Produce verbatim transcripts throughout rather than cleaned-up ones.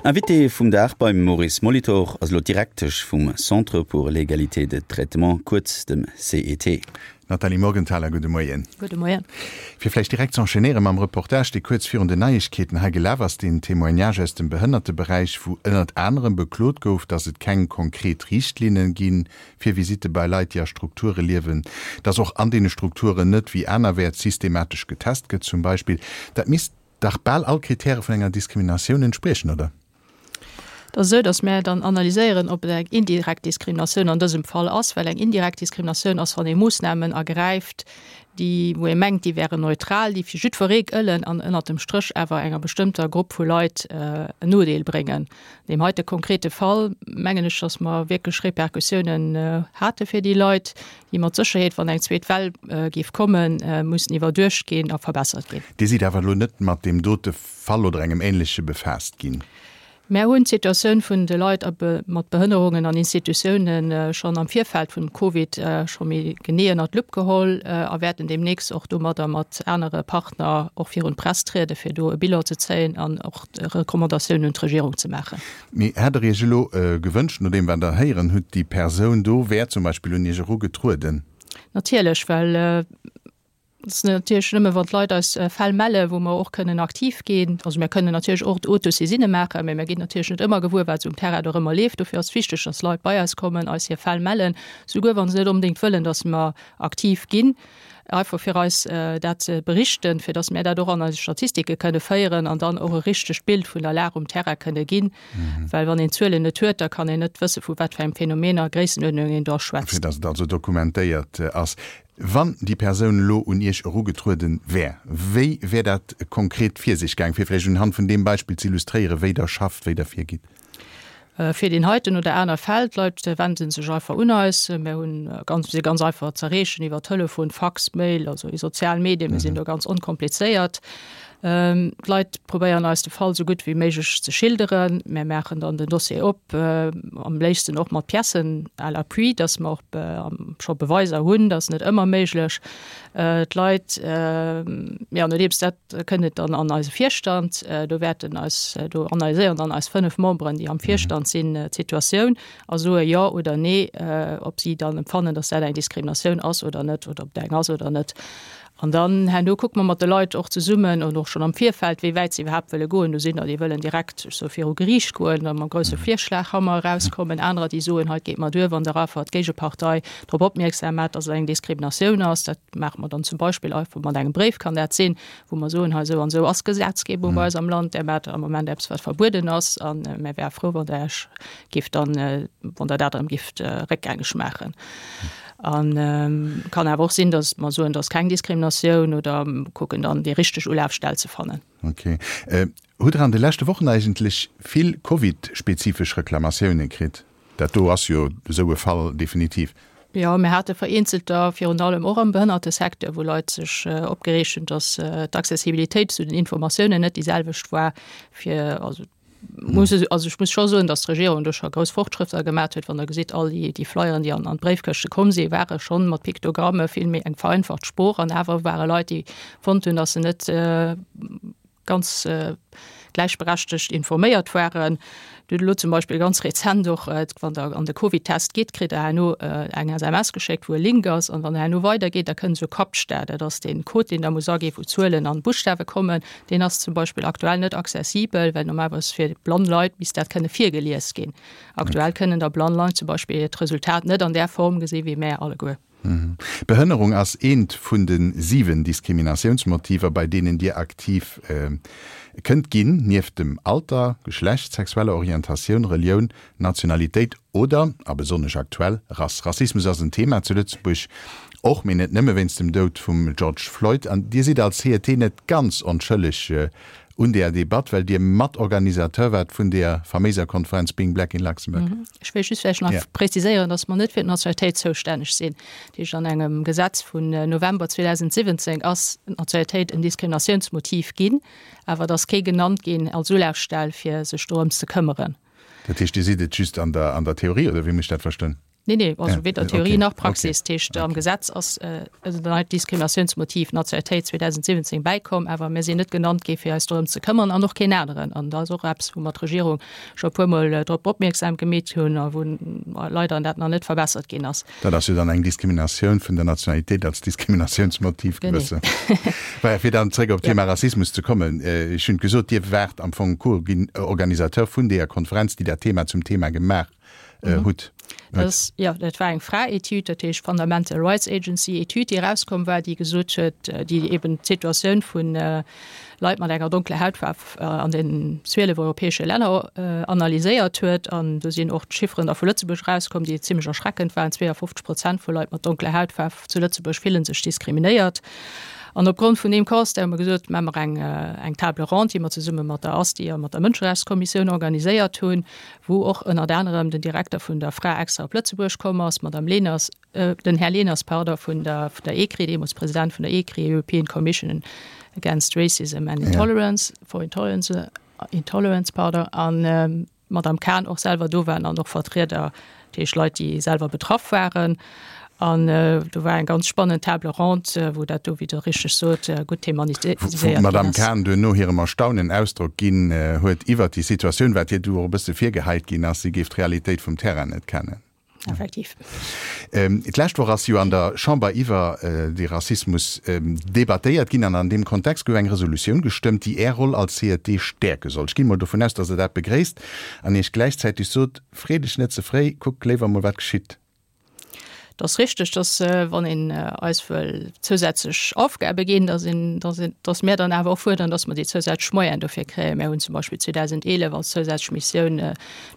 Invité vum Dag beim Maurice Molitor ass elo d'Direktesch vum Centre pour l'égalité de traitement, kuerz dem C E T. Nathalie Morgenthaler, gudde Moien. Gudde Moien. Fir vläicht direkt ze enchaînéiere mam Reportage, dee kuerz virun den Neiegkeeten hei gelaf ass, deen Témoignage aus dem Behënnerteberäich, wou ënnert anerem beklot gouf, datt et keng konkret Richtlinne gi fir Visitte bei Leit, déi a Strukture liewen, datt och an deene Strukturen net wéi anerwäerts systematesch getest gëtt zum Beispill. Dat misst dach bal all Kritäre vun enger Diskriminatioun entspriechen, oder? Et ass esou, datt mär dann analyséieren, ob et eng indirekt Diskriminatioun an dësem Fall ass, well eng indirekt Diskriminatioun ass, wann ee Moossnamen ergräift, déi, wou ee mengt, déi wären neutral, déi fir jiddweree gëllen an ënnert dem Stréch awer enger bestëmmter Grupp vu Leit en Nodeel bréngen. An deem heite konkrete Fall mengen ech, datt mer wierklech Repercussiounen hate fir déi Leit, déi mat Sécherheet, wann eng zweet Well géif kommen, mussen iwwerduecht ginn a verbessert ginn. Dir sidd awer elo net mat deem dote Fall oder engem änleche befaasst ginn? Mär hunn d'Situatioun vun de Leit mat Behënnerungen an Institutiounen schonn am Virfeld vum Covid scho méi genee ënnert d'Lupp geholl a wäerten deemnächst och domadder mat anere Partner och virun d'Press trieden, fir do e Bilan ze zéien an och Recommandatiounen un d'Regierung ze maachen. Mee hätt Der Iech elo gewënscht, no deem wat Der héieren hutt, déi Persoun do wär zum Beispill un Iech erugetrueden? Natierlech, well Et ass natierlech nëmme wann d'Leit eis Fäll mellen, wou mer och kënnen aktiv ginn. Also mir kënnen natierlech och Autosaisine maachen, mä mir ginn natierlech net ëmmer gewuer, wat esou um Terrain dorëmmer leeft. Dofir ass et wichteg, dass Leit bei eis kommen, eis hir Fäll mellen, souguer wa se net onbedéngt wëllen, dass mer aktiv ginn, einfach fir eis dat ze berichten, fir dass mir dat och an eise Statistike kënne féieren an dann och e richtegt Bild vun der Lag um Terrain kënne ginn. Well wann een d'Zuelen net huet, da kann een net wësse vu wat fir engem Phänomen a Gréissenuerdnung een do schwätzt. Fir dass et also dokumentéiert ass. Wann déi Persoun elo un Iech erugetrueden wär, wéi wär dat konkret vir sech gaang, fir vläicht unhand vun deem Beispill ze illustréieren, wéi Der schafft, wéi Der virgitt? Fir deen heiten oder aner Fäll, d'Leit wenden sech einfach un eis. Mir hunn ganz, si ganz einfach z'erreechen iwwer Telefon, Fax, Mail, also déi sozial Medien, mir sinn do ganz onkomplizéiert. D'Leit probéieren eis de Fall sou gutt wéi méiglech ze schilderen. Mir maachen dann den Dossier op, am léifsten och mat Piècen à l'appui, dass mer och scho Beweiser hunn, dat ass net ëmmer méiglech. D'Leit, jo, nodeems dat kënnt et dann an eise Virstand, do wäerten eis, do analyséieren dann eis fënnef Memberen, déi am Virstand sinn, d'Situatioun a soe jo oder nee, ob si dann empfannen, dass dat eng Diskriminatioun ass oder net oder ob dat eng ass oder net. An dann herno kucke mer mat de Leit och zesummen an och schonn am Virfeld, wéi wäit se iwwerhaapt wëlle goen. Do sinn der, déi wëllen direkt sou viru Geriicht goen a mam grousse Virschlaghammer erauskommen, anerer, déi soen, hei et geet mer duer, wann der einfach d'Géigepartei drop opmierksam maacht, dass et eng Diskriminatioun ass. Dat maache mer dann zum Beispill einfach mat engem Bréif, kann dat sinn, wou mer soen, hei esou an esou ass d'Gesetzgebung bei eis am Land, där maacht am Moment eppes, wat verbueden ass, a mir wäre frou, wann Der Iech géift dann, wann Der dat erëm géift réckgängeg maachen. An kann awer och sinn, datt mer soen, et ass keng Diskriminatioun oder kucken dann déi richteg Ulafstell ze fannen. Ok. Hutt Der an de leschte Wochen eigentlech vill Covid-spezifesch Reklamatioune kritt? Dat do ass jo esou e Fall definitiv. Jo, mir hate vereenzelter, virun allem och am Behënnertesecteur, wou Leit sech opgereegt hunn, datt d'Accessibilitéit zu den Informatiounen net déi selwecht war fir, also muss also ech muss scho soen, datt d'Regierung do scho grouss Fortschrëtter gemat huet, wann Der gesitt, all déi déi Flyeren, déi an an d'Bréifkëschte komm sinn, ware schonn mat Piktogramme, vill méi eng vereinfacht Sprooch an awer ware Leit, déi fonnt hunn, datt se net ganz gläichberechtegt informéiert waren. Dir hutt elo zum Beispill ganz rezent och, wann Der an de Covid-Test gitt, kritt Der herno eng S M S geschéckt, wou e Link ass, an wann Der herno weidergeet, da kënnt esou e Captcha, dat ass dee Code, deen Der muss aginn, wou Zuelen an Buschtawe kommen. Deen ass zum Beispill aktuell net accessibel, well normalerweis fir blann Leit misst dat kënne virgelies ginn. Aktuell kënnen da blann Leit zum Beispill d'Resultat net an där Form gesi wéi mär alleguer. Behënnerung ass eent vun de siwen Diskriminatiounsmotiver, bei deenen Dir aktiv kënnt ginn, nieft dem Alter, Geschlecht, sexueller Orientatioun, Relioun, Nationalitéit oder, a besonnesch aktuell, Rass. Rassismus ass en Thema zu Lëtzebuerg, och, mee net nëmme wéinst dem Doud vum George Floyd. An Dir sidd als C E T net ganz onschëlleg un deeër Debatt, well Dir Matorganisateur waart vun deeër faméiser Konferenz Being Black in Luxembourg. Ech wéilt just vläicht nach preziséieren, dass mer net fir d'Nationalitéit zoustänneg sinn. Dat heescht, an engem Gesetz vun November zweedausendsiwwenzéng ass d'Nationalitéit en Diskriminatiounsmotiv ginn, awer et ass kee genannt ginn als Ulafstell, fir sech dorëms ze këmmeren. Dat heescht, Dir sidd et just an der Theorie, oder wéi muss ech dat verstoen? Nee, nee, also weder Theorie nach Praxis. Dat heescht, am Gesetz ass dat neit Diskriminatiounsmotiv Nationalitéit zweedausendsiwwenzéng bäikomm, awer mir sinn net genannt gi fir eis dorëm ze këmmern an och keen aneren. An dat ass och eppes, wou mer d'Regierung scho e puermol drop opmierksam gemeet hunn a wou leider dat nach net verbessert ginn ass. Dat ass jo dann eng Diskriminatioun vun der Nationalitéit als Diskriminatiounsmotiv gewësse. Genee. Fir dann zréck op d'Thema Rassismus ze kommen, Ech hunn gesot, Dir waart am Fong Co-Organisateur vun deeër Konferenz, déi dat Thema zum Thema gemaach hutt. Das, ja, dat war eng FRA-Etüd, dat heescht Fundamental Rights Agency Etüd, déi erauskomm war, déi gesot huet, déi eben d'Situatioun vun Leit mat enger donkeler Hautfaarf an den zwielef europäesche Länner analyséiert huet. An do sinn och d'Chifferen da vu Lëtzebuerg erauskomm, déi zimlech erschreckend waren, zweeënfofzeg Prozent vu Leit mat donkeler Hautfaarf zu Lëtzebuerg fillen sech diskriminéiert. An opgrond vun deem Constat hu mer gesot, maache mer eng, eng Table ronde, déi mer zesumme mat der ASTI a mat der Mënscherechtskommissioun organiséiert hunn, wou och ënnert anerem den Direkter vun der FRA extra op Lëtzebuerg komm ass, d'Madame Leners, den Här Leners, pardon, vun der, vun der ECRI, deemools President vun der ECRI, European Commission against Racism and Intolerance, for Intolerance, Intolerance, pardon, an d'Madame Cahn och selwer do waren an och Vertrieder, dat heescht Leit, déi selwer betraff waren. An do war eng ganz spannend Table ronde, wou dat do, wéi Der richteg sot, gutt thematiséiert ginn ass. Wou d'Madame Cahn duerno hirem Erstaunen Ausdrock ginn huet iwwert déi Situatioun, wat hir du och e bësse virgeheit ginn ass, si géif d'Realitéit vum Terrain net kennen. Effektiv. D'lescht Woch ass jo an der Chamber iwwer de Rassismus debattéiert ginn an an deem Kontext gouf eng Resolutioun gestëmmt, déi Är Roll als C E T stäerke soll. Ech ginn mol dovun aus, datt Der dat begréisst an Iech gläichzäiteg sot, Free dech net ze fréi, kuck léiwer mol wat geschitt. Et ass richteg, dass wann een eis wëll zousätzlech Aufgabe ginn, dass een, dass een, dass mir dann awer och fuerderen, dass mer déi zousätzlech Moyenen dofir kréien. Mir hunn zum Beispill zweedausendeelef als zousätzlech Missioun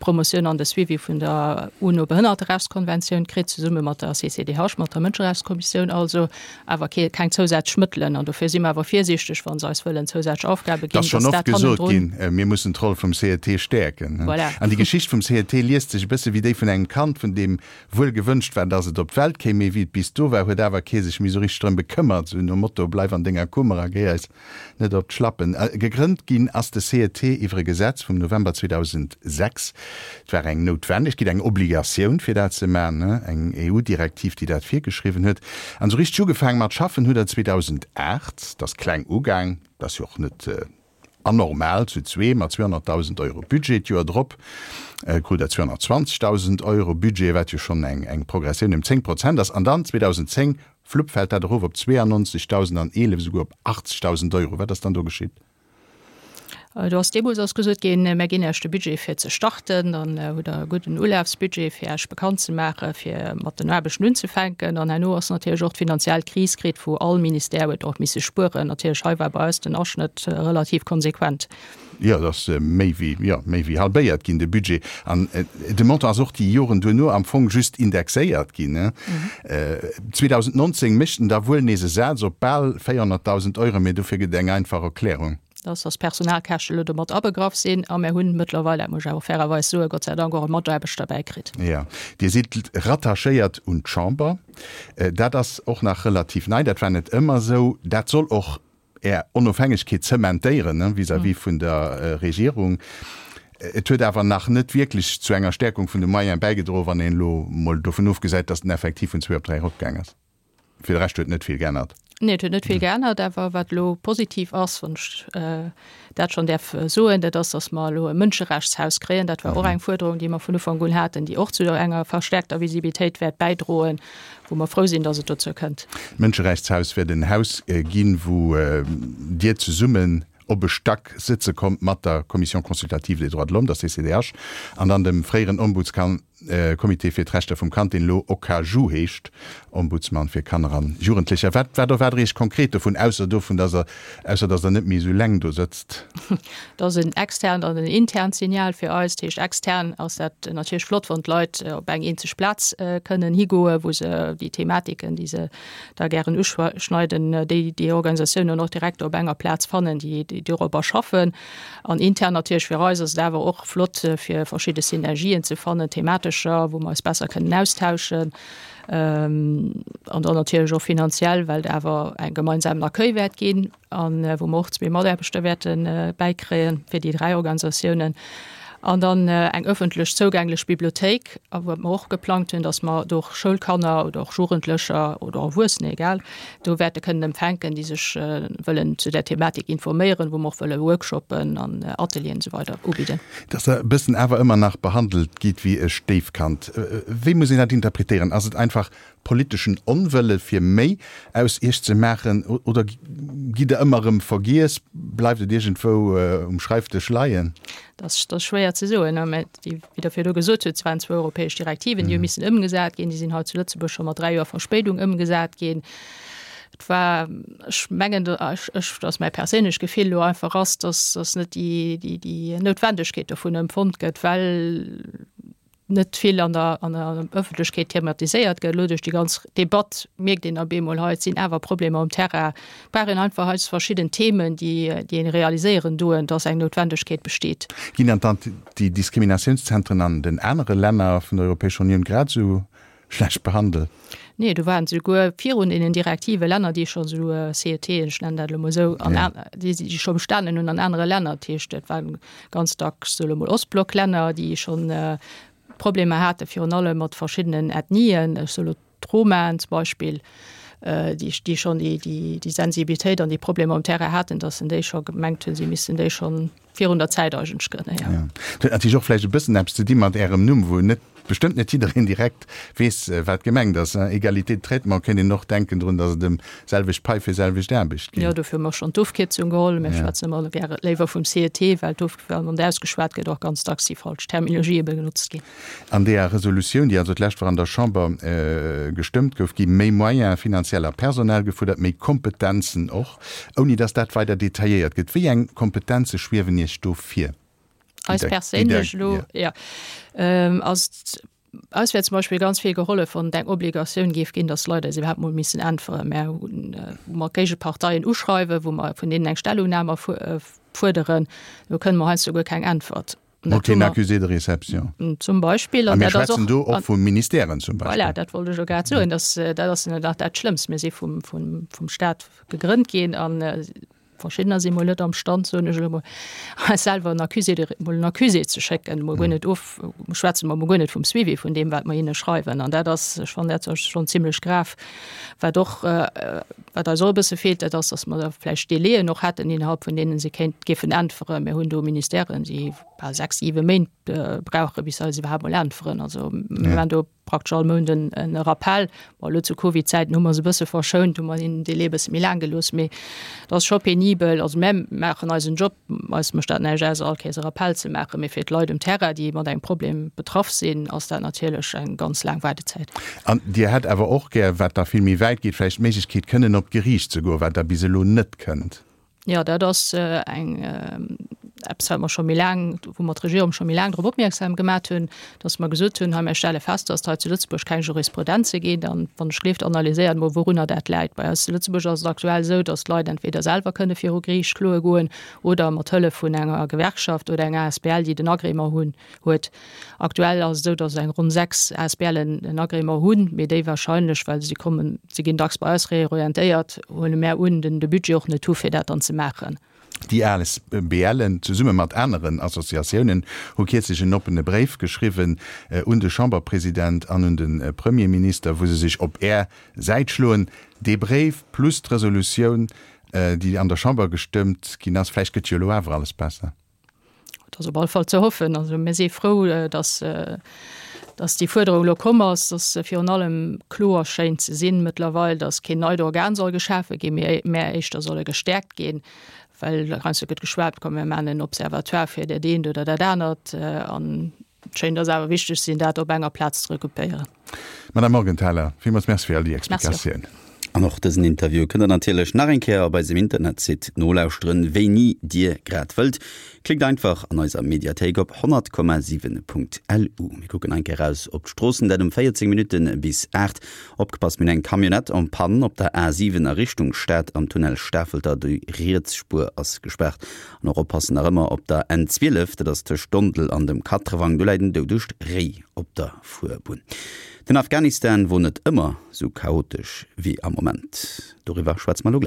d'Promotioun an de Suivi vun der UNO-Behënnerterechtskonventioun kritt, zesumme mat der C C D H, mat der Mënscherechtskommissioun also, awer kee, keng zousätzlech Mëttelen. An dofir si mer awer virsiichteg, wa se eis wëllen zousätzlech Aufgabe ginn, dass dat hannendrun. Et ass schonn oft gesot ginn, mir mussen d'Roll vum C E T stäerken. Voilà. An déi Geschicht vum C E T liest sech e bësse wéi déi vun engem Kand, vun deem wuel gewënscht war, dass et op d'Welt kéim, mee wéi et bis do war, huet awer kee sech méi sou richteg drëm bekëmmert, sou nom Motto, Bleif an denger Kummer a géi eis net op d'Schlappen. Gegrënnt ginn ass de C E T iwwer e Gesetz vum November zweedausendsechs. Et war eng Noutwendegkeet, eng Obligatioun, fir dat ze maachen, eng E U-Direktiv, déi dat virgeschriwwen huet. An sou richteg ugefaange mat schaffen hutt Der zweedausendacht. Et ass kleng ugaang, dat ass jo och net anormal, zu zwee mat zweehonnertdausend Euro Budget. D'Joer drop krut Der zweehonnertzwanzegdausend Euro Budget, wat jo schonn eng Progressioun ëm zéng Prozent ass. An dann zweedausendzéng, flupp, fält dat erof op zweeannonzegdausend an eelef esouguer op achtzegdausend Euro. Wat ass dann do geschitt? Do ass deemools ass gesot ginn, Mär ginn Iech de Budget fir ze starten, dann hutt Der e gudden Ulafsbudget fir Iech bekannt ze maachen, fir mat den Aarbechten unzefänken. An herno ass natierlech och d'finanziell Kris kritt, wou all Ministère huet och misse spueren. Natierlech hei war bei eis den Aschnëtt relativ konsequent. Jo, et ass méi wéi, jo, méi wéi halbéiert ginn, de Budget. An de Montant ass och déi Joren duerno am Fong just indexéiert ginn. zweedausendnonzéng mécht en da wuel nees e Saz op bal véierhonnertdausend Euro, mee dofir gëtt et eng einfach Erklärung. Dass dass d'Personalkäschte elo domat abegraff sinn. A mir hunn mëttlerweil, dat muss ech awer fairerweis soen, Gott sei Dank och e Mataarbechter bäikritt. Jo, Dir sidd rattachéiert un d'Chamber. Dat ass och nach relativ nei, dat war net ëmmer esou. Dat soll och Är Onofhängegkeet zementéieren vis-à-vis vun der Regierung. Et huet awer nach net wierklech zu enger Stärkung vun de Moyene bäigedroen, wann een elo mol dovun ofgesäit, dass den Effektiv vun zwee op dräi eropgaang ass. Fir de Rescht huet net vill geännert. Nee, et huet net vill geännert. Awer wat elo positiv ass, wann ech dat schonn däerf soen, dat ass, datt mer elo e Mënscherechtshaus kréien. Dat war och eng Fuerderung, déi mer vun Ufank un haten, déi och zu enger verstärkter Visibilitéit wäert bäidroen, wou mer frou sinn, datt et dozou kënnt. D'Mënscherechtshaus wäert en Haus ginn, wou Dir zesummen op e Stack sëtze kommt mat der Commission consultative des droits de l'homme, der C C D H, an dann dem fréieren Ombudskan, Comité fir d'Rechter vum Kand, deen elo OKaJu heescht, Ombudsman fir Kanner an Jugendlecher. Wat, wat erwaart Der Iech konkret dovun, ausser dovun, dass Der, ausser dass Der net méi esou leng do sëtzt? Dat ass en externt an en internt Signal fir eis. Dat heescht, extern ass dat natierlech flott, wann d'Leit op eng eenzeg Plaz kënnen higoen, wou se déi Thematiken, déi se da gären uschneiden, déi déi Organisatiounen och direkt op enger Plaz fannen, déi déi dorobber schaffen. An intern natierlech fir eis ass et awer och flott, fir verschidde Synergien ze fannen, thematescher, wou mer eis besser kënnen austauschen. An dann natierlech och finanziell, well et awer e gemeinsamen Accueil wäert ginn an wou mer och zwee Mataarbechter wäerte bäikréien fir déi dräi Organisatiounen. An dann eng ëffentlech zougänglech Bibliothéik, a wat mer och geplangt hunn, dass mer do och Schoulkanner oder och Jugendlecher oder Erwuessener, egal, do wäerte kënnen empfänken, déi sech wëllen zu där Thematik informéieren, wou mer och wëlle Workshoppen an Atelieren esou weider ubidden. Dass Der e bëssen awer ëmmer nach behandelt gitt wéi e Stéifkand. Wéi muss een dat interpretéieren? Ass et einfach politeschen Onwëlle fir méi aus Iech ze maachen oder gitt Der ëmmer erëm vergiess? Bleift et iergendwou um Schreifdësch leien? Dat ass schwéier ze soen, mä wéi Der virdu gesot hutt, et waren zwou europäesch Direktiven, déi hu missen ëmgesat ginn. Déi sinn hei zu Lëtzebuerg scho mat dräi Joer Verspéidung ëmgesat ginn. Et war, ech mengen, ech, dat ass mäi perséinlecht Gefill elo einfach ass, dass, dass net déi, déi, déi Noutwendegkeet dovun empfonnt gëtt, well net vill an der, an der Ëffentlechkeet thematiséiert gëtt. Elo duerch déi ganz Debatt mierkt een op eemol, hei, et sinn awer Problemer um Terrain. Et brauch een einfach hei verschidden Themen, déi, déi een realiséieren doen, dass eng Noutwendegkeet besteet. Ginn dann d'Antidiskriminatiounszentren an den anere Länner vun der Europäescher Unioun grad esou schlecht behandelt? Nee, do waren souguer virun deenen Direktive Länner, déi scho sou CETen, ech nennen dat elo mol esou, an déi déi scho bestanen hunn an anere Länner. Dat heescht, et waren ganz dacks, soe lo mol, Ostblocklänner, déi schonn Problemer hate virun allem mat verschiddenen Ethnien, ech soe lo d'Romaen zum Beispill, déi déi schonn déi déi Sensibilitéit an déi Problemer um Terrain haten, datt se déi scho gemengt hunn, si missten déi schonn virun der Zäit eigentlech grënnen, jo. Jo. Dat huet natierlech och vläicht e bëssen eppes ze di mat Ärem Numm, wou net, bestëmmt net jiddereen direkt weess, wat gemengt ass. Égalité de traitement, kéint een och denken drun, datt et ëm selwecht Pai fir selwecht Aarbecht geet. Jo, dofir hu mer schonn d'Ofkierzung geholl. Mir schwätzen ëmmer gäre léiwer vum CET, well d'Of, wann et ausgeschwat gëtt, och ganz dacks déi falsch Terminologië benotzt ginn. An deeër Resolutioun, déi also d'lescht Woch an der Chamber gestëmmt gouf, gi méi Moyens, finanziell a personell, gefuerdert, méi Kompetenzen och, ouni datt dat weider detailléiert gëtt. Wéi eng Kompetenze schwiewen Iech do vir? Eis perséinlech elo? Jo. Also eis wär zum Beispill ganz vill gehollef, wann et eng Obligatioun géif ginn, datt d'Leit eis iwwerhaapt mol missen äntweren. Mär hunn, wou mer Géigeparteien uschreiwen, wou mer vun deenen eng Stellungnam erfuerderen, do kënne mer heiansdo guer keng Äntwert. Mol keen Accusé de réception. Zum Beispill. A mir schwätzen do och vu Ministèren zum Beispill. Voilà, dat wollt ech elo grad soen. Dat ass nach dat Schlëmmst. Mir si vum, vum, vum Staat gegrënnt ginn an verschiddener si mol net am Stand, soen ech elo mol, eis selwer en Accusé de, mol en Accusé ze schécken, mol guer net of, schwätze mer mol guer net vum Suivi vun deem, wat mer hinne schreiwen. An dat ass, ech fannen dat schonn zimlech grav. Wat och, wat eis och e bësse feelt, dat ass, datt mer da vläicht Délaiën och hätten, innerhalb vun deene se kéint, géifen äntweren. Mir hunn do Ministèren, déi bal sechs, siwe Méint brauche bis se eis iwwerhaapt mol äntweren. Also mir maachen do praktesch all Mount en e Rappell. Bon, elo zu Covid-Zäiten hu mer se e bësse verschount, hu mer hinnen den Délai e bësse méi laang gelooss, mee dat ass scho penibel. Also mär maachen eisen Job, eis mécht dat näischt aus, all Kéiers e Rappell ze maachen, mee fir d'Leit um Terrain, déi mat engem Problem betraff sinn, ass dat natierlech eng ganz laang Waardezäit. An Dir hätt awer och gär, wat da vill méi wäit geet, vläicht d'Méiglechkeet kënnen op d'Geriicht ze goen, wat Der bis elo net kënnt. Jo, dat ass eng eppes, wat mer scho méi laang, wou mer d'Regierung scho méi laang drop opmierksam gemat hunn, dass mer gesot hunn, hei mir stelle fest, dass et hei zu Lëtzebuerg keng Jurisprudenze gétt. An wann ech gleeft, analyséiert emol, wourunner dat läit. Bei eis zu Lëtzebuerg ass et aktuell esou, dass d'Leit entweder selwer kënne viru Geriicht kloe goen oder mat Hëllef vun enger Gewerkschaft oder enger asbl, déi den Agrément hunn, huet. Aktuell ass et esou, dass eng ronn sechs ASBLen en Agrément hunn, mee déi wahrscheinlech, well si kommen, si ginn dacks bei eis reorientéiert, huele mär un, den de Budget och net hu fir dat dann ze maachen. Déi ASBLen, zesumme mat aneren Associatiounen, hu kierzlech en oppene Bréif geschriwwen un de Chamberpresident an un de Premierminister, wou se sech op Är Säit schloen. Dee Bréif plus d'Resolutioun, déi an der Chamber gestëmmt ginn ass, vläicht gëtt jo elo awer alles besser. Et ass op alle Fall ze hoffen. Also mir si frou, dass, dass déi Fuerderung elo komm ass, dass se virun allem kloer schéint ze sinn mëttlerweil, dass keen neit Organ soll geschafe ginn, mee mä éischter solle gestäerkt ginn, well heiansdo gëtt geschwat, komm mir maachen en Observatoire fir dat eent oder dat anert. An et schéint eis awer wichteg ze sinn, dat op enger Plaz ze regroupéieren. Madame Morgenthaler, villmools Merci fir all déi Explikatioun. An och dësen Interview kënnt der natierlech nach eng Kéier op eisem Internetsite nolauschteren, wéini dir grad wëllt. Klickt einfach an eiser Mediathéik op honnert Komma siwen Punkt lu. Mir kucken eng Kéier raus op d'Stroossen, dat um véierzéng Minutte bis aacht. Opgepasst, mir hunn eng Camionnette en panne op der A siwen a Richtung Stad am Tunnel Stafelter. Déi riets Spuer ass gespaart. An och oppassen nach ëmmer op der N zwielef, dat ass tëscht Dondel an dem Katrewang, do läit en doudegt Réi op der Fuerbunn. Den Afghanistan wor net ëmmer sou chaotesch wéi am Moment. Doriwwer schwätze mer elo gläich.